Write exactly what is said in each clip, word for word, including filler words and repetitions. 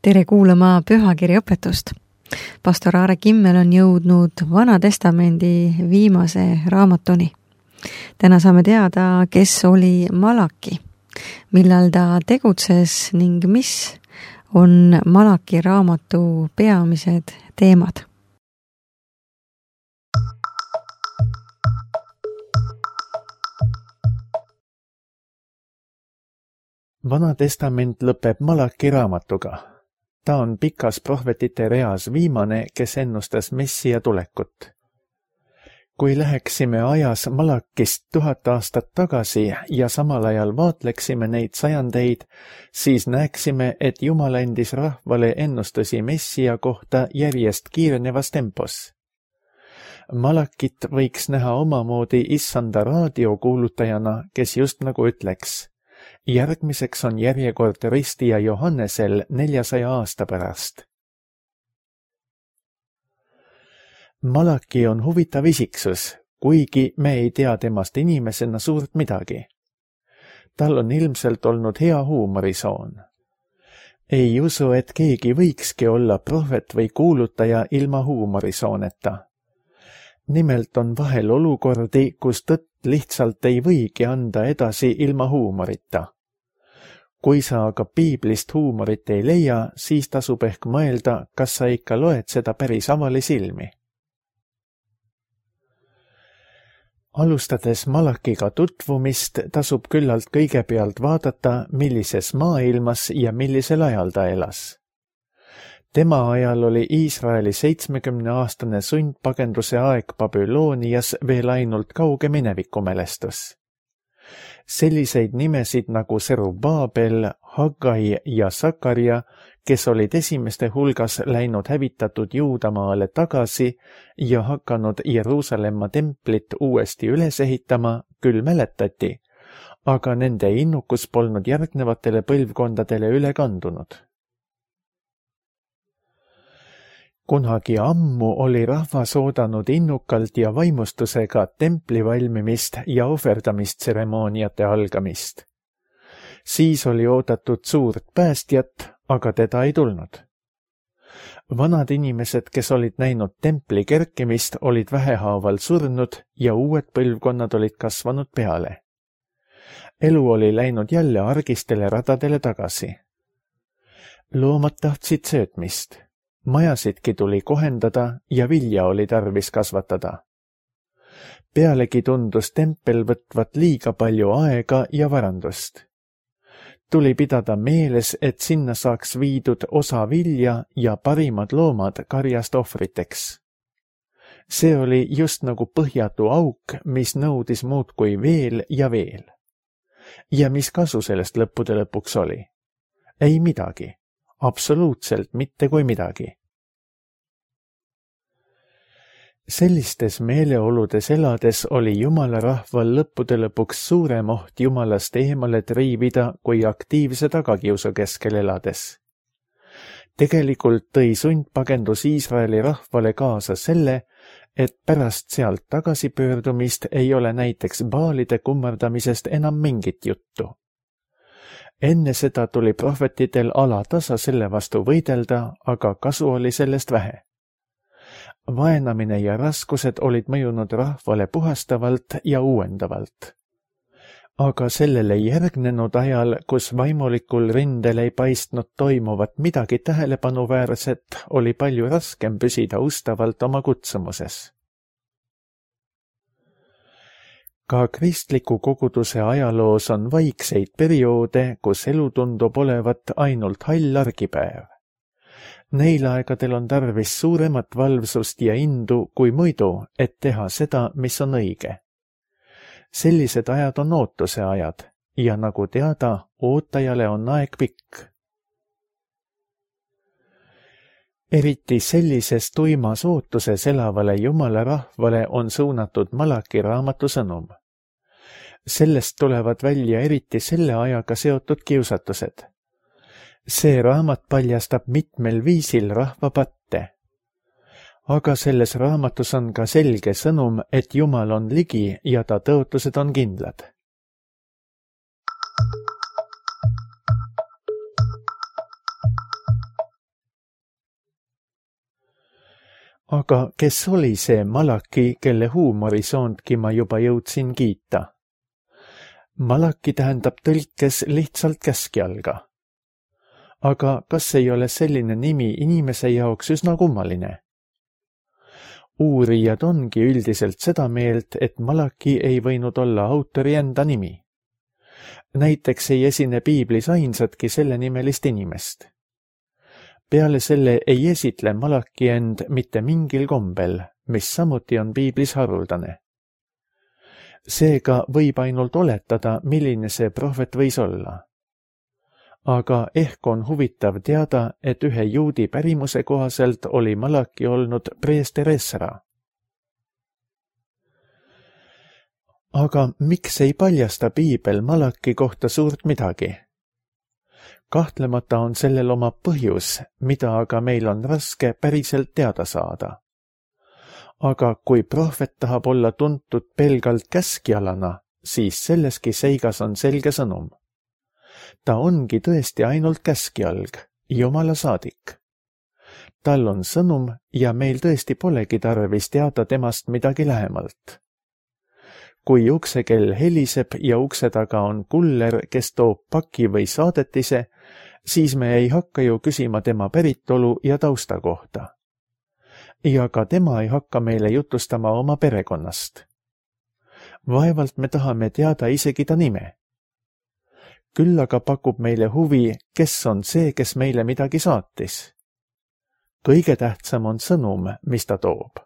Tere kuulama pühakirja õpetust. Pastor Aare Kimmel on jõudnud Vana Testamendi viimase raamatuni. Täna saame teada, kes oli Malaki, millal ta tegutses ning mis on Malaki raamatu peamised teemad. Vana testament lõpeb Malaki raamatuga. Ta on pikas prohvetite reas viimane, kes ennustas Messia tulekut. Kui läheksime ajas Malakist tuhat aastat tagasi ja samal ajal vaatleksime neid sajandeid, siis näeksime, et Jumal andis rahvale ennustusi Messia kohta järjest kiirenevas tempos. Malakit võiks näha omamoodi issanda raadiokuulutajana, kes just nagu ütleks: järgmiseks on järjekord ristija Johannesel neljasaja aasta pärast. Malaki on huvitav isiksus, kuigi me ei tea temast inimesena suurt midagi. Tal on ilmselt olnud hea huumorisoon. Ei usu, et keegi võikski olla prohvet või kuulutaja ilma huumorisooneta. Nimelt on vahel olukordi, kus tõtt lihtsalt ei võigi anda edasi ilma huumorita. Kui sa aga piiblist huumorit ei leia, siis tasub ehk mõelda, kas sa ikka loed seda päris avalisilmi. Alustades Malakiga tutvumist, tasub küllalt kõigepealt vaadata, millises maailmas ja millisel ajal ta elas. Tema ajal oli Iisraeli seitsmekümneaastane sundpagenduse aeg Babylonias veel ainult kauge minevikumälestus. Selliseid nimesid nagu Serubabel, Haggai ja Sakarja, kes olid esimeste hulgas läinud hävitatud Juudamaale tagasi ja hakanud Jeruusalemma templit uuesti üles ehitama, küll mäletati, aga nende innukus polnud järgnevatele põlvkondadele üle kandunud. Kunagi ammu oli rahvas oodanud innukalt ja vaimustusega templi valmimist ja ohverdamistseremooniate algamist. Siis oli oodatud suurt päästjat, aga teda ei tulnud. Vanad inimesed, kes olid näinud templi kerkimist, olid vähehaaval surnud ja uued põlvkonnad olid kasvanud peale. Elu oli läinud jälle argistele radadele tagasi. Loomad tahtsid söötmist. Majasidki tuli kohendada ja vilja oli tarvis kasvatada. Pealegi tundus tempel võtvat liiga palju aega ja varandust. Tuli pidada meeles, et sinna saaks viidud osa vilja ja parimad loomad karjast ohvriteks. See oli just nagu põhjatu auk, mis nõudis muudkui veel ja veel. Ja mis kasu sellest lõppude lõpuks oli? Ei midagi. Absoluutselt mitte kui midagi. Sellistes meeleoludes elades oli Jumala rahval lõppude lõpuks suurem oht Jumalast eemale triivida kui aktiivse tagakiusu keskel elades. Tegelikult tõi sundpagendus Iisraeli rahvale kaasa selle, et pärast sealt tagasipöördumist ei ole näiteks baalide kummardamisest enam mingit juttu. Enne seda tuli prohvetidel alatasa selle vastu võidelda, aga kasu oli sellest vähe. Vaenamine ja raskused olid mõjunud rahvale puhastavalt ja uuendavalt. Aga sellele järgnenud ajal, kus vaimulikul rindel ei paistnud toimuvat midagi tähelepanuväärset, oli palju raskem püsida ustavalt oma kutsumuses. Ka kristliku koguduse ajaloos on vaikseid perioode, kus elu tundub olevat ainult hall argipäev. Neil aegadel on tarvis suuremat valvsust ja indu kui muidu, et teha seda, mis on õige. Sellised ajad on ootuse ajad ja nagu teada, ootajale on aeg pikk. Eriti sellises tuimas ootuses elavale Jumala rahvale on suunatud Malaki raamatu sõnum. Sellest tulevad välja eriti selle ajaga seotud kiusatused. See raamat paljastab mitmel viisil rahva patte. Aga selles raamatus on ka selge sõnum, et Jumal on ligi ja ta tõotused on kindlad. Aga kes oli see Malaki, kelle huumorisoondki ma juba jõudsin kiita? Malaki tähendab tõlkes lihtsalt käskjalga. Aga kas ei ole selline nimi inimese jaoks üsna kummaline? Uurijad ongi üldiselt seda meelt, et Malaki ei võinud olla autori enda nimi. Näiteks ei esine piiblis ainsatki selle nimelist inimest. Peale selle ei esitle Malaki end mitte mingil kombel, mis samuti on piiblis haruldane. Seega võib ainult oletada, milline see prohvet võis olla. Aga ehk on huvitav teada, et ühe juudi pärimuse kohaselt oli Malaki olnud preester Esra. Aga miks ei paljasta piibel Malaki kohta suurt midagi? Kahtlemata on sellel oma põhjus, mida aga meil on raske päriselt teada saada. Aga kui prohvet tahab olla tuntud pelgalt käskjalana, siis selleski seigas on selge sõnum. Ta ongi tõesti ainult käskjalg, Jumala saadik. Tal on sõnum ja meil tõesti polegi tarvis teada temast midagi lähemalt. Kui uksekell heliseb ja ukse taga on kuller, kes toob paki või saadetise, siis me ei hakka ju küsima tema päritolu ja tausta kohta. Ja ka tema ei hakka meile jutustama oma perekonnast. Vaevalt me tahame teada isegi ta nime. Küll aga pakub meile huvi, kes on see, kes meile midagi saatis. Kõige tähtsam on sõnum, mis ta toob.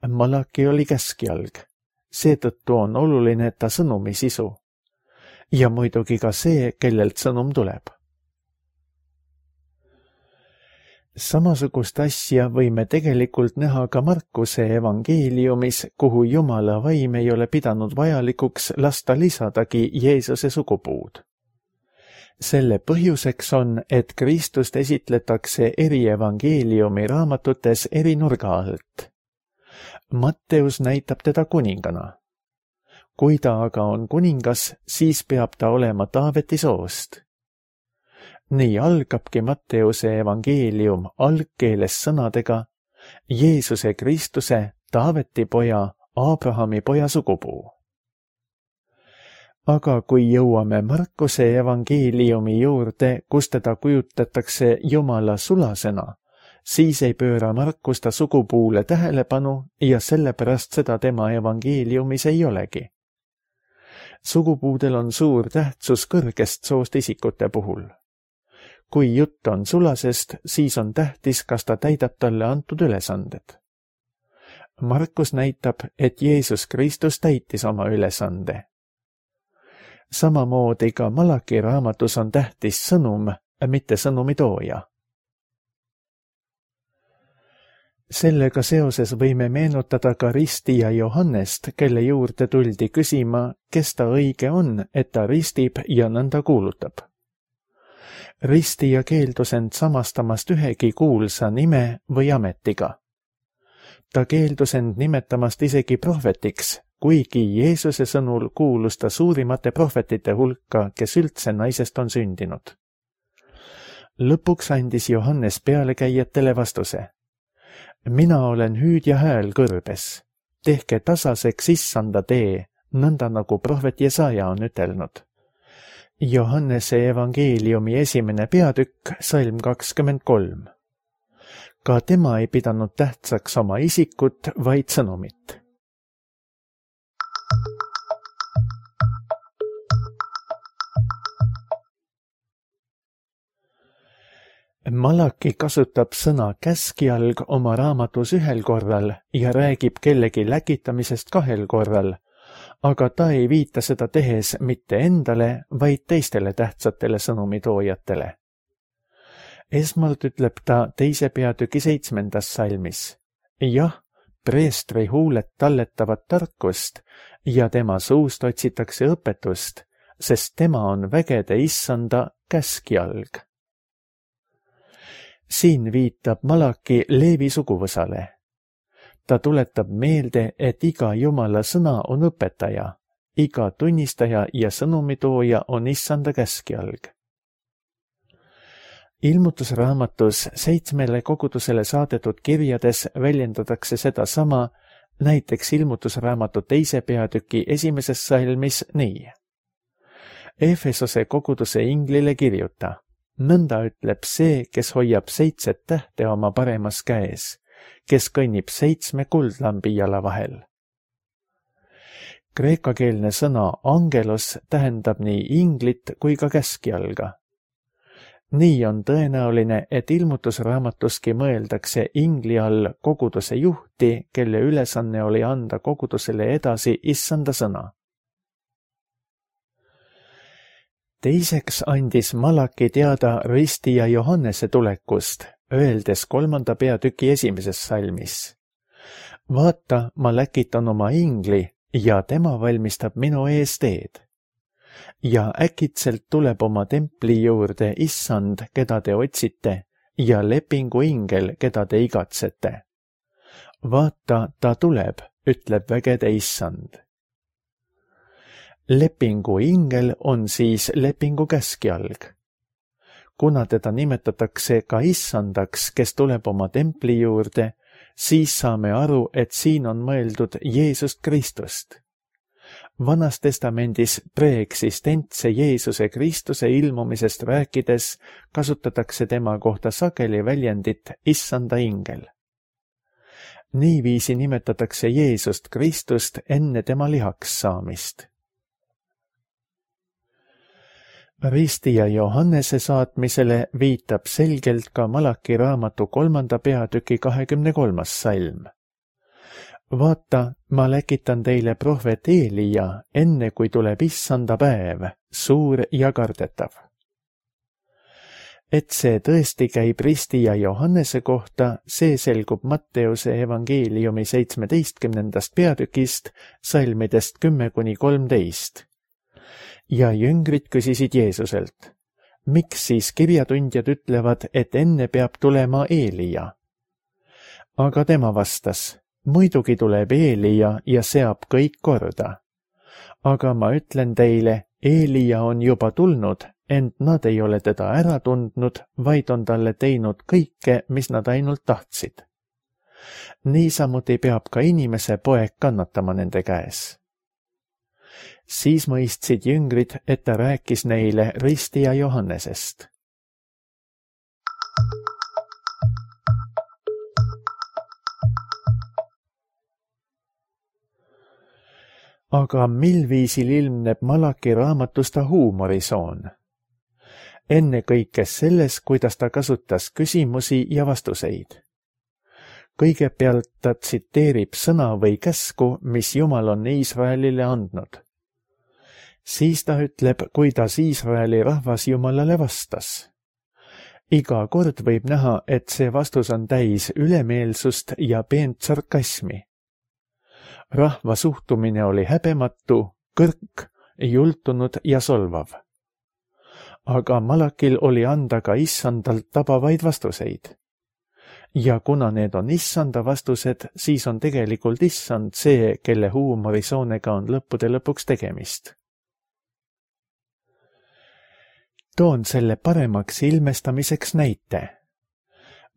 Malaki oli käskjalg. Seetõttu on oluline ta sõnumi sisu. Ja muidugi ka see, kellelt sõnum tuleb. Samasugust asja võime tegelikult näha ka Markuse evangeeliumis, kuhu Jumala vaim ei ole pidanud vajalikuks lasta lisadagi Jeesuse sugupuud. Selle põhjuseks on, et Kristust esitletakse eri evangeeliumi raamatutes eri nurga alt. Matteus näitab teda kuningana. Kui ta aga on kuningas, siis peab ta olema Taaveti soost. Nii algabki Matteuse evangeelium algkeeles sõnadega Jeesuse Kristuse, Taaveti poja, Abrahami poja sugupuu. Aga kui jõuame Markuse evangeeliumi juurde, kus teda kujutatakse Jumala sulasena, siis ei pööra Markus ta sugupuule tähelepanu ja sellepärast seda tema evangeeliumis ei olegi. Sugupuudel on suur tähtsus kõrgest soost isikute puhul. Kui jutt on sulasest, siis on tähtis, kas ta täidab talle antud ülesanded. Markus näitab, et Jeesus Kristus täitis oma ülesande. Samamoodi ka Malaki raamatus on tähtis sõnum, mitte sõnumi tooja. Sellega seoses võime meenutada ka ristija Johannest, kelle juurde tuldi küsima, kes ta õige on, et ta ristib ja nõnda kuulutab. Ristija keeldus end samastamast ühegi kuulsa nime või ametiga. Ta keeldus end nimetamast isegi prohvetiks, kuigi Jeesuse sõnul kuulus ta suurimate prohvetite hulka, kes üldse naisest on sündinud. Lõpuks andis Johannes pealekäijatele vastuse. Mina olen hüüdja hääl kõrbes. Tehke tasaseks issanda tee, nõnda nagu prohvet Jesaja on ütelnud. Johannese evangeeliumi esimene peatükk, salm kakskümmend kolm. Ka tema ei pidanud tähtsaks oma isikut, vaid sõnumit. Malaki kasutab sõna käskjalg oma raamatus ühel korral ja räägib kellegi läkitamisest kahel korral, aga ta ei viita seda tehes mitte endale, vaid teistele tähtsatele sõnumitoojatele. Esmalt ütleb ta teise peatüki seitsmendas salmis. Jah, preestri huuled talletavad tarkust ja tema suust otsitakse õpetust, sest tema on vägede issanda käskjalg. Siin viitab Malaki Leevi suguvõsale. Ta tuletab meelde, et iga Jumala sõna on õpetaja, iga tunnistaja ja sõnumitooja on issanda käskjalg. ilmutusraamatus seitsmele kogudusele saadetud kirjades väljendatakse sedasama, näiteks ilmutusraamatu teise peatüki esimeses salmis nii. Efesose koguduse inglile kirjuta, nõnda ütleb see, kes hoiab seitset tähte oma paremas käes, kes kõnnib seitsme kuldlambi jala vahel. Kreekakeelne sõna angelos tähendab nii inglit kui ka käskjalga. Nii on tõenäoline, et ilmutusraamatuski mõeldakse ingli all koguduse juhti, kelle ülesanne oli anda kogudusele edasi issanda sõna. Teiseks andis Malaki teada ristija Johannese tulekust, öeldes kolmanda peatüki esimeses salmis. Vaata, ma läkitan oma ingli ja tema valmistab minu ees teed. Ja äkitselt tuleb oma templi juurde issand, keda te otsite, ja lepingu ingel, keda te igatsete. Vaata, ta tuleb, ütleb vägede issand. Lepingu ingel on siis lepingu käskjalg. Kuna teda nimetatakse ka issandaks, kes tuleb oma templi juurde, siis saame aru, et siin on mõeldud Jeesust Kristust. Vanas testamendis preeksistentse Jeesuse Kristuse ilmumisest rääkides kasutatakse tema kohta sageli väljendit issanda ingel. Niiviisi nimetatakse Jeesust Kristust enne tema lihaks saamist. Ristija Johannese saatmisele viitab selgelt ka Malaki raamatu kolmanda peatüki kahekümne kolmas salm. Vaata, ma läkitan teile prohvet Eelia, enne kui tuleb issanda päev, suur ja kardetav. Et see tõesti käib ristija Johannese kohta, see selgub Matteuse evangeeliumi seitsmeteistkümnendast peatükist, salmidest kümme kuni kolmteist. Ja jüngrid küsisid Jeesuselt, miks siis kirjatundjad ütlevad, et enne peab tulema Eelia? Aga tema vastas, muidugi tuleb Eelia ja seab kõik korda. Aga ma ütlen teile, Eelia on juba tulnud, ent nad ei ole teda ära tundnud, vaid on talle teinud kõike, mis nad ainult tahtsid. Niisamuti peab ka inimese poeg kannatama nende käes. Siis mõistsid jüngrid, et ta rääkis neile ristija Johannesest. Aga mil viisil ilmneb Malaki raamatus ta huumorisoon? Ennekõike selles, kuidas ta kasutas küsimusi ja vastuseid. Kõigepealt ta tsiteerib sõna või käsku, mis Jumal on Iisraelile andnud. Siis ta ütleb, kuidas Iisraeli rahvas Jumalale vastas. Iga kord võib näha, et see vastus on täis ülemeelsust ja peent sarkasmi. Rahva suhtumine oli häbematu, kõrk, jultunud ja solvav. Aga Malakil oli anda ka issandalt tabavaid vastuseid. Ja kuna need on issanda vastused, siis on tegelikult issand see, kelle huumorisoonega on lõppude lõpuks tegemist. Toon selle paremaks ilmestamiseks näite.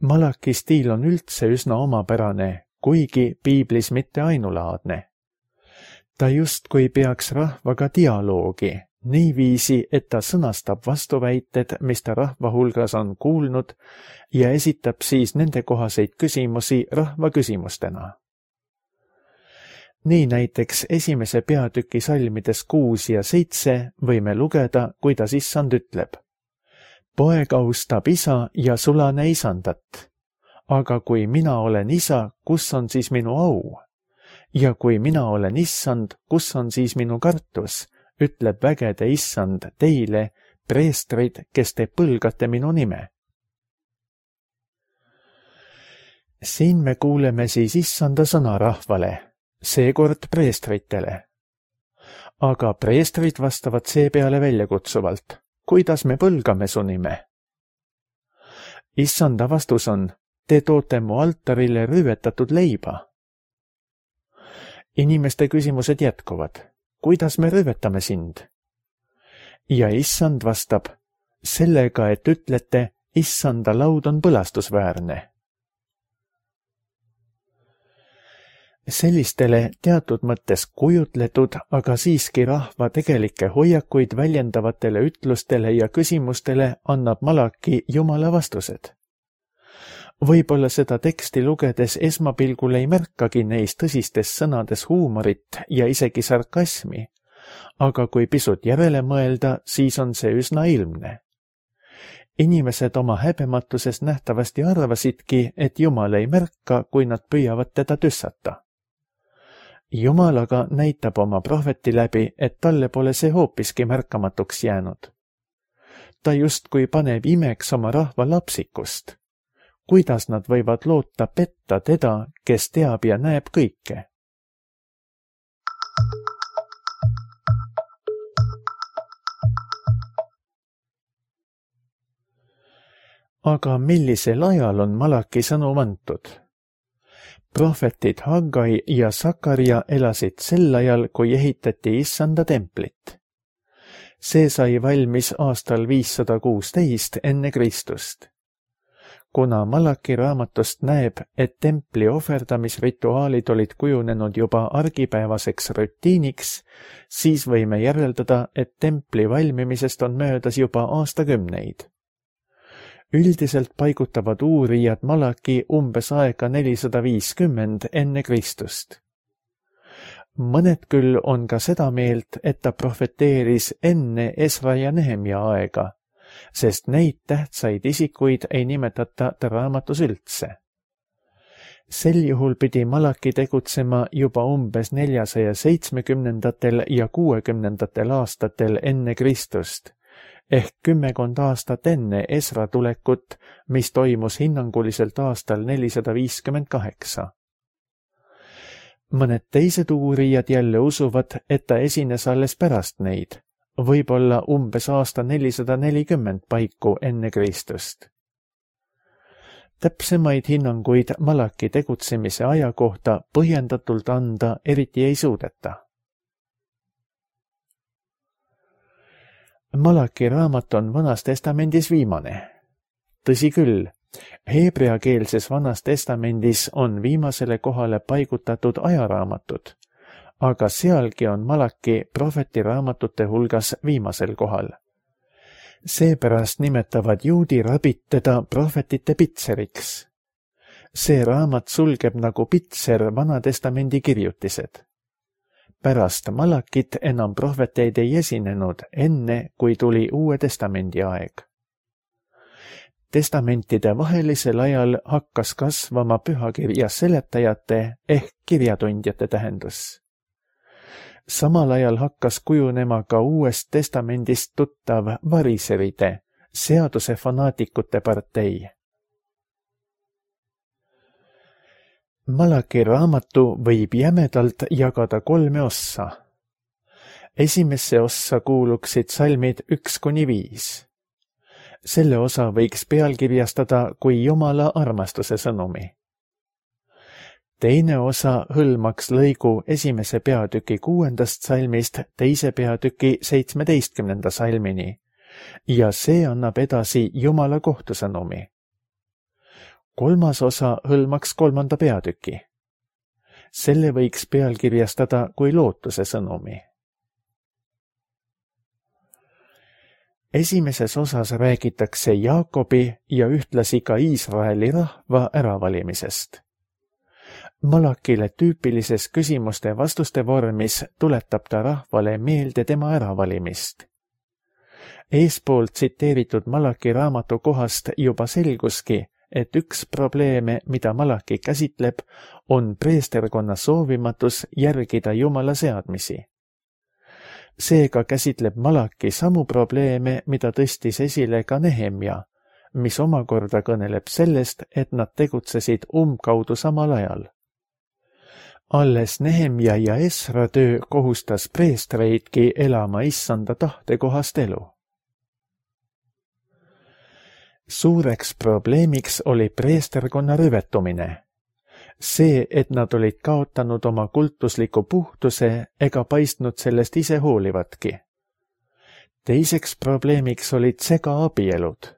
Malaki stiil on üldse üsna omapärane, kuigi piiblis mitte ainulaadne. Ta justkui peaks rahvaga dialoogi, niiviisi, et ta sõnastab vastuväited, mis ta rahva hulgas on kuulnud, ja esitab siis nendekohaseid küsimusi rahva küsimustena. Nii näiteks esimese peatüki salmides kuus ja seitse võime lugeda, kuidas issand ütleb. Poeg austab isa ja sulane isandat. Aga kui mina olen isa, kus on siis minu au? Ja kui mina olen issand, kus on siis minu kartus? Ütleb vägede issand teile, preestrid, kes te põlgate minu nime. Siin me kuuleme siis issanda sõna rahvale, seekord preestritele. Aga preestrid vastavad seepeale väljakutsuvalt, kuidas me põlgame su nime? Issanda vastus on, te toote mu altarile rüüvetatud leiba. Inimeste küsimused jätkuvad. Kuidas me rüüvetame sind? Ja issand vastab, sellega, et ütlete, issanda laud on põlastusväärne. Sellistele teatud mõttes kujutletud, aga siiski rahva tegelikke hoiakuid väljendavatele ütlustele ja küsimustele annab Malaki Jumala vastused. Võib-olla seda teksti lugedes esmapilgul ei märkagi neis tõsistes sõnades huumorit ja isegi sarkasmi, aga kui pisut järele mõelda, siis on see üsna ilmne. Inimesed oma häbematuses nähtavasti arvasidki, et Jumal ei märka, kui nad püüavad teda tüssata. Jumal aga näitab oma prohveti läbi, et talle pole see hoopiski märkamatuks jäänud. Ta justkui paneb imeks oma rahva lapsikust. Kuidas nad võivad loota petta teda, kes teab ja näeb kõike? Aga millisel ajal on Malaki sõnum antud? Prohvetid Haggai ja Sakarja elasid sel ajal, kui ehitati issanda templit. See sai valmis aastal viissada kuusteist enne Kristust. Kuna Malaki raamatust näeb, et templi ohverdamisrituaalid olid kujunenud juba argipäevaseks rutiiniks, siis võime järeldada, et templi valmimisest on möödas juba aastakümneid. Üldiselt paigutavad uurijad Malaki umbes aega nelisada viiskümmend enne Kristust. Mõned küll on ka seda meelt, et ta prohveteeris enne Esra ja Nehemia aega, sest neid tähtsaid isikuid ei nimetata ta raamatus üldse. Sel juhul pidi Malaki tegutsema juba umbes neljasaja seitsmekümnendatel ja kuuekümnendatel aastatel enne Kristust, ehk kümmekond aastat enne Esra tulekut, mis toimus hinnanguliselt aastal nelisada viiskümmend kaheksa. Mõned teised uurijad jälle usuvad, et ta esines alles pärast neid, võib-olla umbes aasta nelisada nelikümmend paiku enne Kristust. Täpsemaid hinnanguid Malaki tegutsemise aja kohta põhjendatult anda eriti ei suudeta. Malaki raamat on Vanas Testamendis viimane. Tõsi küll, heebreakeelses Vanas Testamendis on viimasele kohale paigutatud ajaraamatud, aga sealgi on Malaki prohveti raamatute hulgas viimasel kohal. Seepärast nimetavad juudi rabid teda prohvetite pitseriks. See raamat sulgeb nagu pitser Vana Testamendi kirjutised. Pärast Malakit enam prohveteid ei esinenud enne, kui tuli Uue Testamendi aeg. Testamentide vahelisel ajal hakkas kasvama pühakirja seletajate ehk kirjatundjate tähendus. Samal ajal hakkas kujunema ka Uuest Testamendist tuttav variseride, seaduse fanaatikute partei. Malaki raamatu võib jämedalt jagada kolme ossa. Esimesse ossa kuuluksid salmid üks kuni viis. Selle osa võiks pealkirjastada kui Jumala armastuse sõnumi. Teine osa hõlmaks lõigu esimese peatüki kuuendast salmist teise peatüki seitsmeteistkümnenda salmini ja see annab edasi Jumala kohtusõnumi. Kolmas osa hõlmaks kolmanda peatüki. Selle võiks pealkirjastada kui lootuse sõnumi. Esimeses osas räägitakse Jaakobi ja ühtlasi ka Iisraeli rahva äravalimisest. Malakile tüüpilises küsimuste vastuste vormis tuletab ta rahvale meelde tema äravalimist. Eespoolt tsiteeritud Malaki raamatu kohast juba selguski, et üks probleeme, mida Malaki käsitleb, on preesterkonna soovimatus järgida Jumala seadmisi. Seega käsitleb Malaki samu probleeme, mida tõstis esile ka Nehemia, mis omakorda kõneleb sellest, et nad tegutsesid umbkaudu samal ajal. Alles Nehemia ja Esra töö kohustas preestreidki elama issanda tahtekohast elu. Suureks probleemiks oli preesterkonna rüvetumine. See, et nad olid kaotanud oma kultusliku puhtuse ega paistnud sellest ise hoolivatki. Teiseks probleemiks olid segaabielud.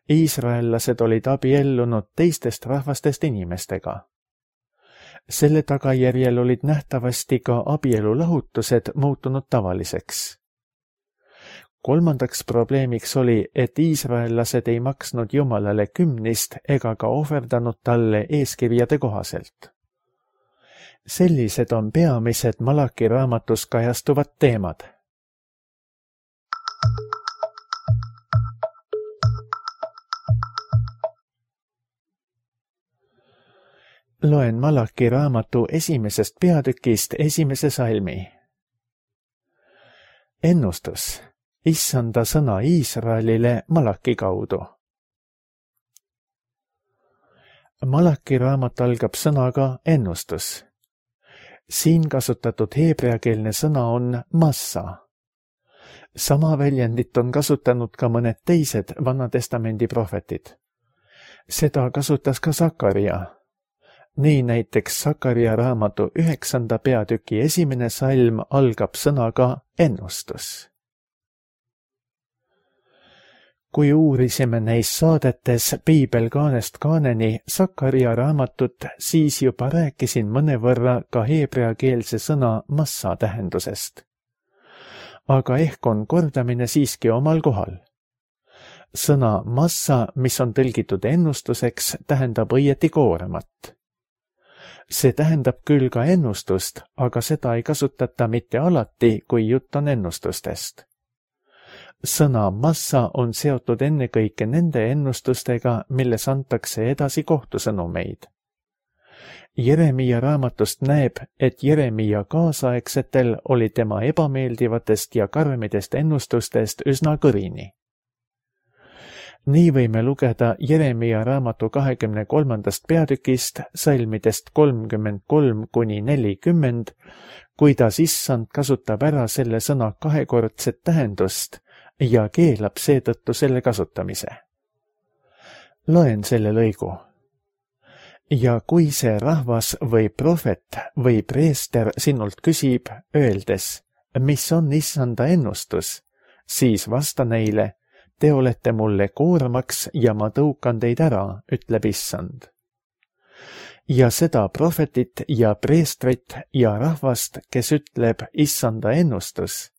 Iisraellased olid abiellunud teistest rahvastest inimestega. Selle tagajärjel olid nähtavasti ka abielulahutused muutunud tavaliseks. Kolmandaks probleemiks oli, et iisraellased ei maksnud Jumalale kümnist ega ka ohverdanud talle eeskirjade kohaselt. Sellised on peamised Malaki raamatus kajastuvad teemad. Loen Malaki raamatu esimesest peatükist esimese salmi. Ennustus. Issanda sõna Iisraelile Malaki kaudu. Malaki raamat algab sõnaga ennustus. Siin kasutatud heebreakeelne sõna on massa. Sama väljendit on kasutanud ka mõned teised Vanatestamendi prohvetid. Seda kasutas ka Sakaria. Nii näiteks Sakaria raamatu üheksanda peatüki esimene salm algab sõnaga ennustus. Kui uurisime neis saadetes Piibel kaanest kaaneni Sakaria raamatut, siis juba rääkisin mõnevõrra ka heebreakeelse sõna massa tähendusest. Aga ehk on kordamine siiski omal kohal. Sõna massa, mis on tõlgitud ennustuseks, tähendab õieti kooremat. See tähendab küll ka ennustust, aga seda ei kasutata mitte alati, kui jutt on ennustustest. Sõna massa on seotud ennekõike nende ennustustega, milles antakse edasi kohtusõnumeid. Jeremia raamatust näeb, et Jeremia kaasaegsetel oli tema ebameeldivatest ja karmidest ennustustest üsna kõrini. Nii võime lugeda Jeremia raamatu kahekümne kolmandast peatükist, salmidest kolmkümmend kolm kuni nelikümmend, kuidas issand kasutab ära selle sõna kahekordset tähendust ja keelab seetõttu selle kasutamise. Loen selle lõigu. Ja kui see rahvas või prohvet või preester sinult küsib, öeldes, mis on issanda ennustus, siis vasta neile, te olete mulle koormaks ja ma tõukan teid ära, ütleb issand. Ja seda prohvetit ja preestrit ja rahvast, kes ütleb issanda ennustus,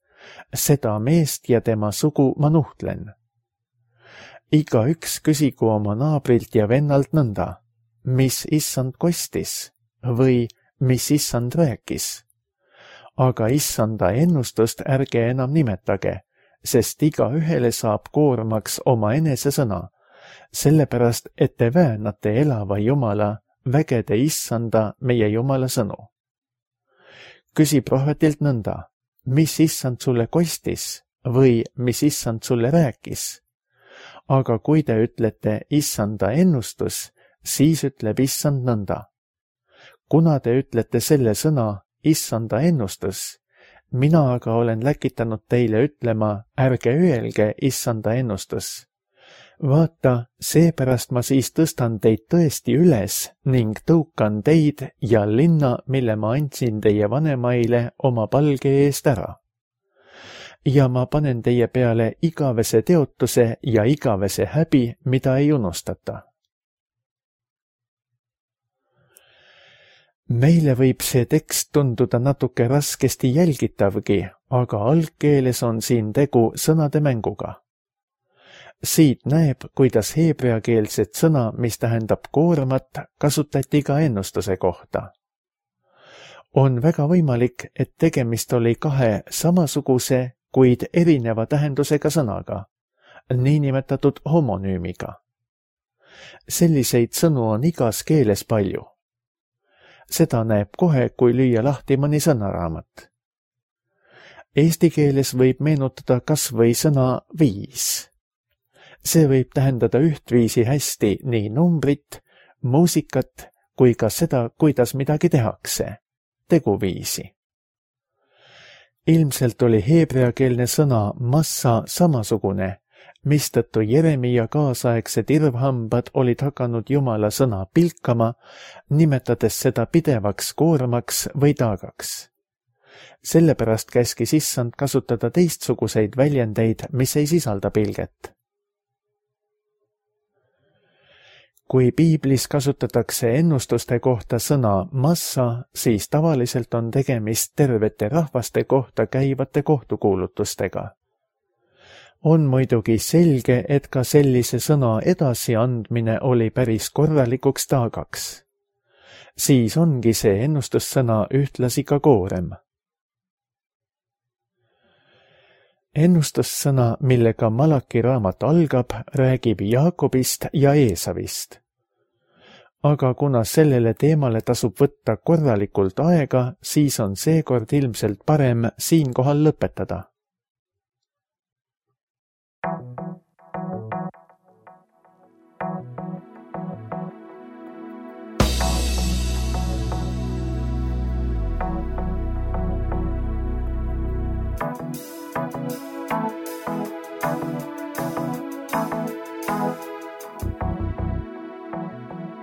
seda meest ja tema sugu ma nuhtlen. Igaüks küsigu oma naabrilt ja vennalt nõnda, mis issand kostis või mis issand rääkis. Aga issanda ennustust ärge enam nimetage, sest igaühele saab koormaks oma enese sõna, sellepärast et te väänate elava Jumala, vägede issanda meie Jumala sõnu. Küsi prohvetilt nõnda, mis issand sulle kostis või mis issand sulle rääkis. Aga kui te ütlete issanda ennustus, siis ütleb issand nõnda. Kuna te ütlete selle sõna issanda ennustus, mina aga olen läkitanud teile ütlema, ärge öelge issanda ennustus. Vaata, seepärast ma siis tõstan teid tõesti üles ning tõukan teid ja linna, mille ma andsin teie vanemaile oma palge eest ära. Ja ma panen teie peale igavese teotuse ja igavese häbi, mida ei unustata. Meile võib see tekst tunduda natuke raskesti jälgitavgi, aga algkeeles on siin tegu sõnade mänguga. Siit näeb, kuidas heebreakeelset sõna, mis tähendab koormat, kasutati ka ennustuse kohta. On väga võimalik, et tegemist oli kahe samasuguse, kuid erineva tähendusega sõnaga, niinimetatud homonüümiga. Selliseid sõnu on igas keeles palju. Seda näeb kohe, kui lüüa lahti mõni sõnaraamat. Eesti keeles võib meenutada kas või sõna viis. See võib tähendada ühtviisi hästi nii numbrit, muusikat kui ka seda, kuidas midagi tehakse, teguviisi. Ilmselt oli heebreakeelne sõna massa samasugune, mistõttu Jeremia kaasaegsed irvhambad olid hakanud Jumala sõna pilkama, nimetades seda pidevaks koormaks või taagaks. Sellepärast käskis issand kasutada teistsuguseid väljendeid, mis ei sisalda pilget. kui piiblis kasutatakse ennustuste kohta sõna massa, siis tavaliselt on tegemist tervete rahvaste kohta käivate kohtukuulutustega. On muidugi selge, et ka sellise sõna edasiandmine oli päris korralikuks taagaks. Siis ongi see ennustussõna ühtlasi ka koorem. Ennustussõna, millega Malaki raamat algab, räägib Jaakobist ja Eesavist. Aga kuna sellele teemale tasub võtta korralikult aega, siis on seekord ilmselt parem siinkohal lõpetada.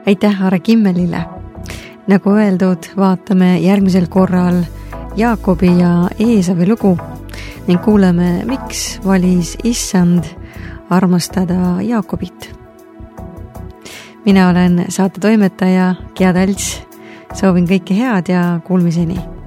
Aitäh Aare Kimmelile! Nagu öeldud, vaatame järgmisel korral Jaakobi ja Eesavi lugu ning kuuleme, miks valis issand armastada Jaakobit. Mina olen saate toimetaja Gea Talts. Soovin kõike head ja kuulmiseni!